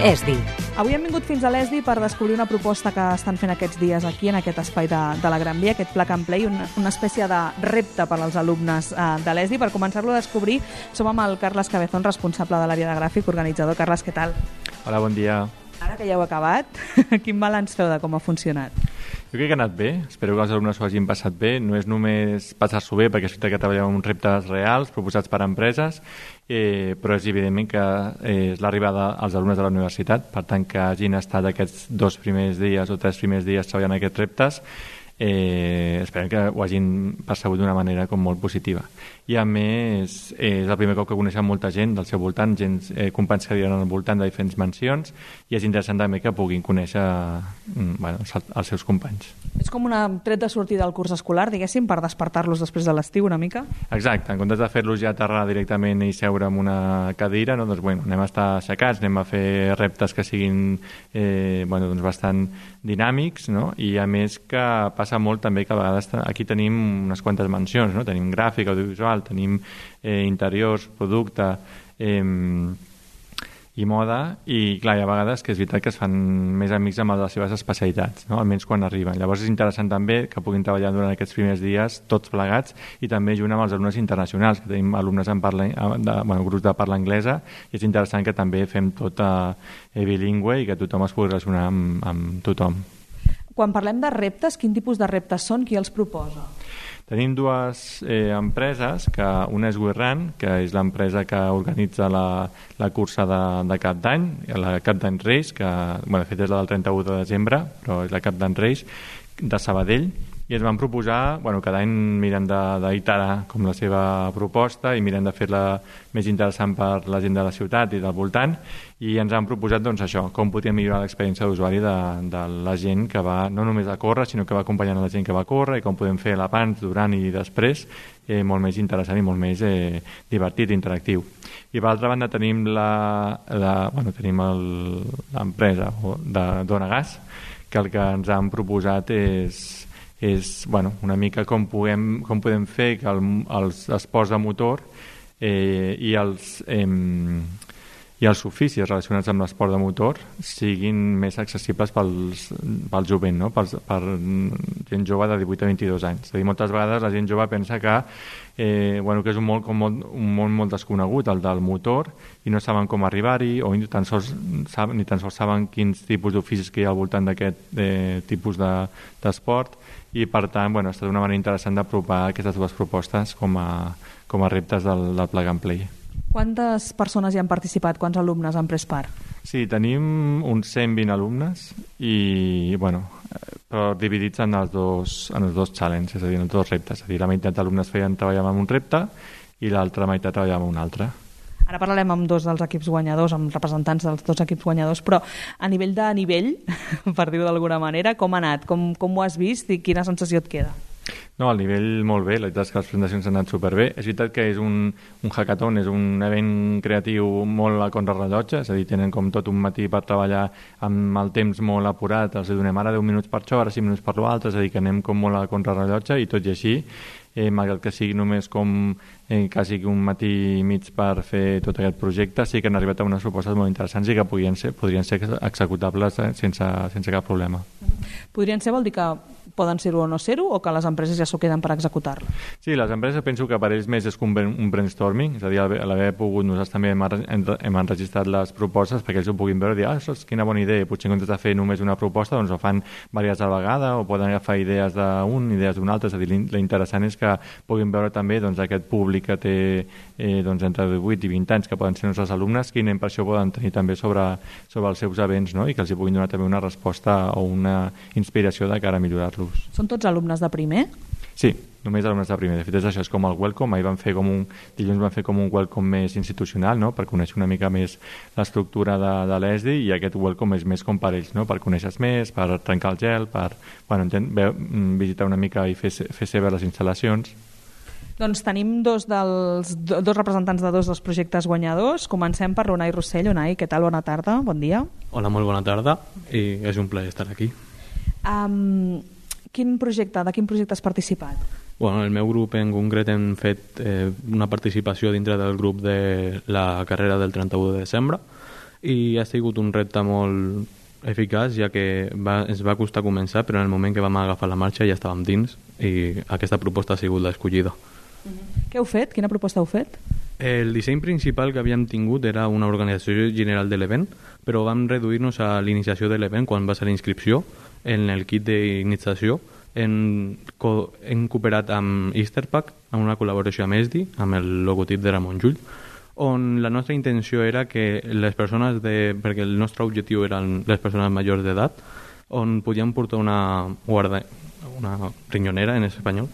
ESDI. Avui hem vingut fins a l'ESDI per descobrir una proposta que estan fent aquests dies aquí, en aquest espai de la Gran Via, aquest Plug and Play, una espècie de repte per als alumnes de l'ESDI. Per començar-lo a descobrir, som amb el Carles Cabezón, responsable de l'àrea de gràfic, organitzador. Carles, què tal? Hola, bon dia. Ara que ja heu acabat, quin balanç feu de com ha funcionat? Jo crec que ha anat bé, espero que els alumnes ho hagin passat bé. No és només passar-s'ho bé, perquè és veritat que treballem amb uns reptes reals proposats per empreses, però és evidentment que és l'arribada als alumnes de la universitat, per tant que hagin estat aquests 2 primers dies o 3 primers dies treballant aquests reptes, esperem que ho hagin percebut d'una manera com molt positiva. I a més és el primer cop que coneixen molta gent del seu voltant, companys que viuen al voltant de diferents mansions, i és interessant també que puguin conèixer els seus companys. És com un tret de sortir del curs escolar, diguéssim, per despertar-los després de l'estiu una mica? Exacte, en comptes de fer-los ja aterrar directament i seure en una cadira, no? Doncs, anem a estar aixecats, anem a fer reptes que siguin bastant dinàmics, no? I a més que passa molt també que a vegades aquí tenim unes quantes mansions, no? Tenim gràfic, audiovisual, tenim interiors, producte i moda, i clar, hi ha vegades que és veritat que es fan més amics amb les seves especialitats, no? Almenys quan arriben. Llavors és interessant també que puguin treballar durant aquests primers dies tots plegats i també junt amb els alumnes internacionals, que tenim alumnes grups de parla anglesa, i és interessant que també fem tot bilingüe i que tothom es pugui relacionar amb tothom. Quan parlem de reptes, quin tipus de reptes són? Qui els proposa? Tenim 2 empreses, que una és WeRun, que és l'empresa que organitza la cursa de Cap d'Any, la Cap d'Any Race, que de fet és la del 31 de desembre, però és la Cap d'Any Race, de Sabadell, i ens van proposar, cada any mirem d'iterar com la seva proposta i mirem de fer-la més interessant per la gent de la ciutat i del voltant, i ens han proposat això, com podríem millorar l'experiència d'usuari de la gent que va no només a córrer, sinó que va acompanyant la gent que va a córrer, i com podem fer l'abans, durant i després molt més interessant i molt més divertit i interactiu. I per altra banda tenim tenim l'empresa de Dona Gas, que el que ens han proposat és una mica com podem fer que els esports de motor i els oficis relacionats amb l'esport de motor siguin més accessibles pel jovent, no? Per gent jove de 18 a 22 anys. És a dir, moltes vegades la gent jove pensa que és un món molt desconegut, el del motor, i no saben com arribar-hi, o ni tan sols saben quins tipus d'oficis que hi ha al voltant d'aquest tipus d'esport, i per tant ha estat una manera interessant d'apropar aquestes 2 propostes com a reptes del Plug and Play. Quantes persones hi han participat? Quants alumnes han pres part? Sí, tenim uns 120 alumnes i, però dividits en els dos challenges, és a dir, en els 2 reptes. És a dir, la meitat d'alumnes treballaven en un repte i l'altra meitat treballaven en un altre. Ara parlarem amb 2 dels equips guanyadors, amb representants dels 2 equips guanyadors, però a nivell, per dir-ho d'alguna manera, com ha anat? Com ho has vist i quina sensació et queda? No, al nivell molt bé, la veritat és que les presentacions han anat superbé. És veritat que és un hackathon, és un event creatiu molt a contrarrellotge, és a dir, tenen com tot un matí per treballar amb el temps molt apurat, els donem ara 10 minuts per això, ara 5 minuts per l'altre, és a dir, que anem com molt a contrarrellotge, i tot i així, malgrat que sigui només com quasi un matí i mig per fer tot aquest projecte, sí que han arribat a unes propostes molt interessants i que podrien ser executables sense cap problema. Podrien ser vol dir que poden ser-ho o no ser-ho, o que les empreses ja s'ho queden per executar-lo? Sí, les empreses penso que per ells més és un brainstorming, és a dir, a l'haver pogut, nosaltres també hem enregistrat les propostes perquè ells ho puguin veure i dir, quina bona idea, potser en comptes de fer només una proposta, doncs ho fan diverses a la vegada, o poden agafar idees d'un, idees d'un altre, és a dir, l'interessant és que puguin veure també aquest públic que té entre 18 i 20 anys, que poden ser els nostres alumnes, quina impressió poden tenir també sobre els seus events, no? I que els hi puguin donar també una resposta o una inspiració de cara a millorar-los. Són tots alumnes de primer? Sí, només alumnes de primer. De fet, això és com el welcome. Dilluns van fer com un welcome més institucional, no? Per conèixer una mica més l'estructura de l'ESDI, i aquest welcome és més com per ells, no? Per conèixer més, per trencar el gel, per visitar una mica i fer seves les instal·lacions. Doncs tenim 2 representants de 2 dels projectes guanyadors. Comencem per l'Unai Rossell. Unai, què tal? Bona tarda, bon dia. Hola, molt bona tarda, i és un plaer estar aquí. De quin projecte has participat? Bueno, el meu grup en concret hem fet una participació dintre del grup de la carrera del 31 de desembre. i ha sigut un repte molt eficaç, ja que ens va costar començar, però en el moment que vam agafar la marxa ja estàvem dins i aquesta proposta ha sigut l'escollida. Què heu fet? Quina proposta heu fet? El disseny principal que havíem tingut era una organització general de l'event, però vam reduir-nos a l'iniciació de l'event quan va ser l'inscripció. En el kit d'iniciació hem cooperat amb Easterpack, amb una col·laboració amb ESDI, amb el logotip de Ramon Llull, on la nostra intenció era que les persones perquè el nostre objectiu eren les persones majors d'edat, on podíem portar una rinyonera en espanyol,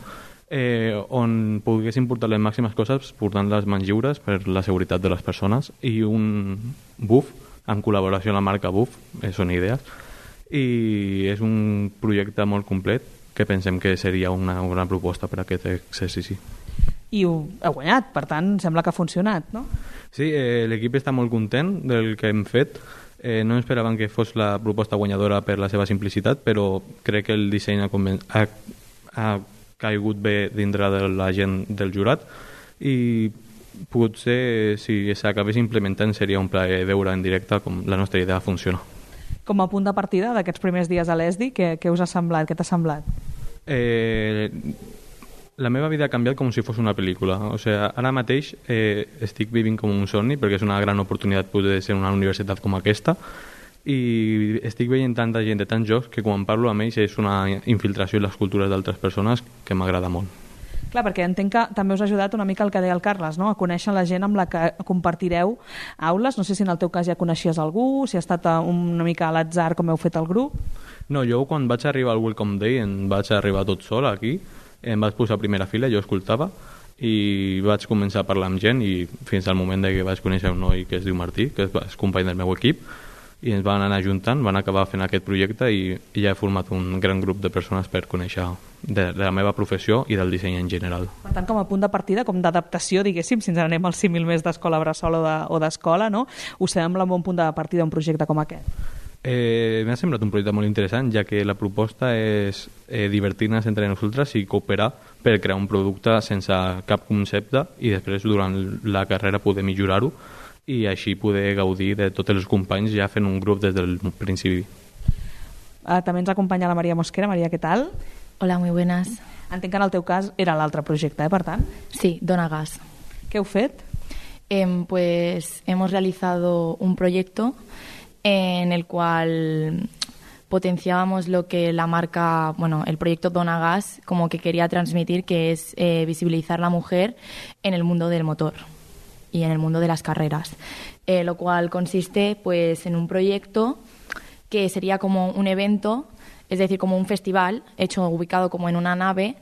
on poguessin portar les màximes coses portant les mans lliures per la seguretat de les persones, i un buff en col·laboració amb la marca Buff, són idees, i és un projecte molt complet que pensem que seria una gran proposta per a aquest exercici. I ho heu guanyat, per tant, sembla que ha funcionat, no? Sí, l'equip està molt content del que hem fet. No esperaven que fos la proposta guanyadora per la seva simplicitat, però crec que el disseny ha caigut bé dintre de la gent del jurat, i potser si s'acabés implementant seria un plaer veure en directe com la nostra idea funciona. Com a punt de partida d'aquests primers dies a l'ESDI, què us ha semblat? Què t'ha semblat? La meva vida ha canviat com si fos una pel·lícula. O sigui, ara mateix estic vivint com un somni, perquè és una gran oportunitat poder ser en una universitat com aquesta, i estic veient tanta gent de tants jocs que quan parlo amb ells és una infiltració en les cultures d'altres persones que m'agrada molt. Clar, perquè entenc que també us ha ajudat una mica el que deia el Carles, no? A conèixer la gent amb la que compartireu aules. No sé si en el teu cas ja coneixies algú, si ha estat una mica a l'atzar com heu fet el grup. No, jo quan vaig arribar al Welcome Day em vaig arribar tot sol aquí, em vaig posar a primera fila, jo escoltava i vaig començar a parlar amb gent, i fins al moment que vaig conèixer un noi que es diu Martí, que és company del meu equip, i ens van anar ajuntant, van acabar fent aquest projecte, i ja he format un gran grup de persones per conèixer de la meva professió i del disseny en general. Per tant, com a punt de partida, com d'adaptació, diguéssim, si ens anem al símil més d'escola bressol o d'escola, no? Us sembla un bon punt de partida un projecte com aquest? M'ha semblat un projecte molt interessant, ja que la proposta és divertir-nos entre nosaltres i cooperar per crear un producte sense cap concepte, i després durant la carrera poder millorar-ho i així poder gaudir de tots els companys ja fent un grup des del principi. També ens acompanya la Maria Mosquera. Maria, què tal? Hola, muy buenas. Entenc que en el teu cas era l'altre projecte, per tant? Sí, Dona Gas. ¿Qué heu fet? Pues hemos realizado un proyecto en el cual potenciábamos lo que la marca, el proyecto Dona Gas como que quería transmitir, que es visibilizar la mujer en el mundo del motor y en el mundo de las carreras, lo cual consiste pues en un proyecto que sería como un evento, es decir, como un festival ubicado como en una nave,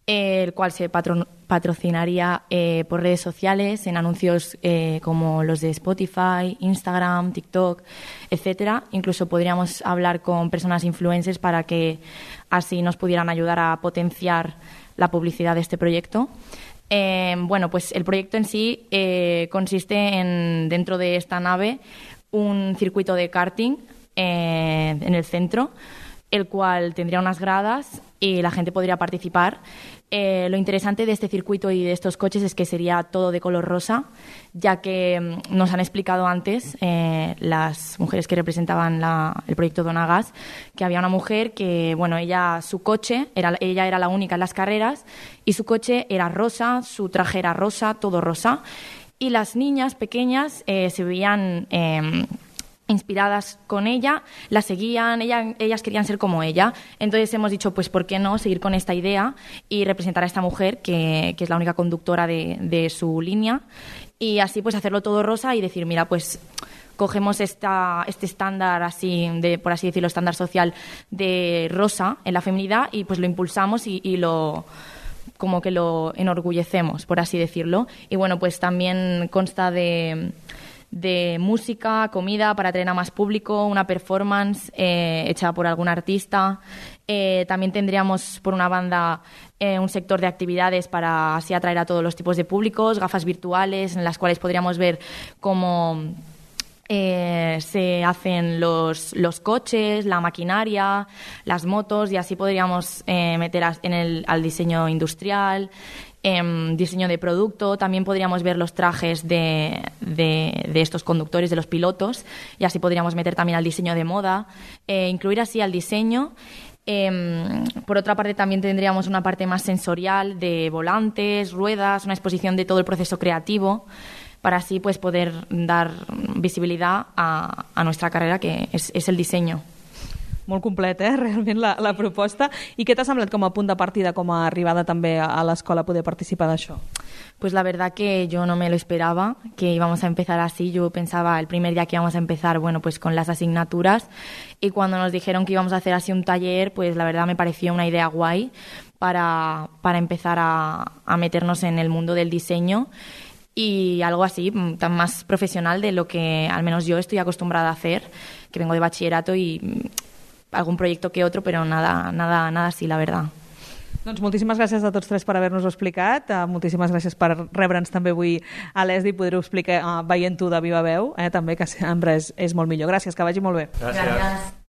el cual se patrocinaría por redes sociales, en anuncios como los de Spotify, Instagram, TikTok, etcétera. Incluso podríamos hablar con personas influencers para que así nos pudieran ayudar a potenciar la publicidad de este proyecto. Pues el proyecto en sí consiste en, dentro de esta nave, un circuito de karting en el centro, el cual tendría unas gradas y la gente podría participar. Lo interesante de este circuito y de estos coches es que sería todo de color rosa, ya que nos han explicado antes las mujeres que representaban el proyecto Dona Gas, que había una mujer que, ella era la única en las carreras y su coche era rosa, su traje era rosa, todo rosa, y las niñas pequeñas se veían inspiradas con ella, la seguían, ellas querían ser como ella. Entonces hemos dicho, pues ¿por qué no seguir con esta idea y representar a esta mujer que es la única conductora de su línea, y así pues hacerlo todo rosa y decir, mira, pues cogemos este estándar así, por así decirlo, estándar social de rosa en la feminidad, y pues lo impulsamos y lo como que lo enorgullecemos, por así decirlo. Y pues también consta de música, comida para atraer a más público, una performance hecha por algún artista. También tendríamos por una banda un sector de actividades para así atraer a todos los tipos de públicos, gafas virtuales en las cuales podríamos ver cómo se hacen los coches, la maquinaria, las motos, y así podríamos meter al diseño industrial, diseño de producto. También podríamos ver los trajes de estos conductores, de los pilotos, y así podríamos meter también al diseño de moda, incluir así al diseño. Por otra parte, también tendríamos una parte más sensorial de volantes, ruedas, una exposición de todo el proceso creativo, para así pues poder dar visibilitat a nuestra carrera, que és el disseny. Molt complet, realment, la proposta. I què t'ha semblat com a punt de partida, com a arribada també a l'escola, poder participar d'això? Pues la verdad que yo no me lo esperaba, que íbamos a empezar así. Yo pensaba el primer día que íbamos a empezar, bueno, pues con las asignaturas, y cuando nos dijeron que íbamos a hacer así un taller, pues la verdad me pareció una idea guay para empezar a meternos en el mundo del diseño, y algo así, tan más profesional de lo que al menos yo estoy acostumbrada a hacer, que vengo de bachillerato y algún proyecto que otro, pero nada así, la verdad. Doncs moltíssimes gràcies a tots tres per haver-nos-ho explicat. Moltíssimes gràcies per rebre'ns també avui a l'ESDI i poder-ho explicar veient-ho de viva veu, també, que sempre és molt millor. Gràcies, que vagi molt bé. Gràcies.